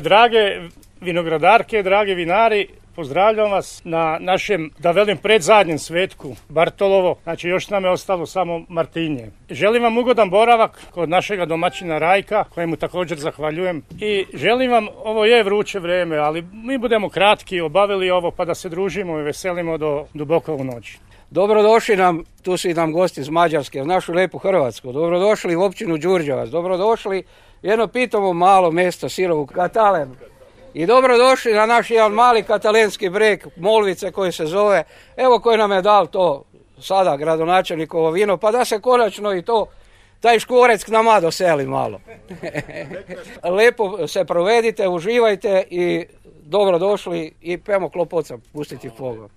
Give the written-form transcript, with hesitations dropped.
Drage vinogradarke, dragi vinari, pozdravljam vas na našem, da velim, predzadnjem svetku Bartolovo, znači još nam je ostalo samo Martinje. Želim vam ugodan boravak kod našega domaćina Rajka, kojemu također zahvaljujem, i želim vam, ovo je vruće vrijeme, ali mi budemo kratki, obavili ovo pa da se družimo i veselimo do duboko u noć. Dobrodošli nam, tu su i nam gosti iz Mađarske, u našu lijepu Hrvatsku. Dobrodošli u općinu Đurđevac, dobrodošli jedno pitamo malo mjesto Sirovu Katalen. I dobrodošli na naš jedan mali katalenski breg Molvice koji se zove, evo koji nam je dal to sada gradonačelnikovo vino, pa da se konačno i to, taj škvorec k nama doseli malo. Lepo se provedite, uživajte i dobrodošli i pemo klopoca pustiti pogon.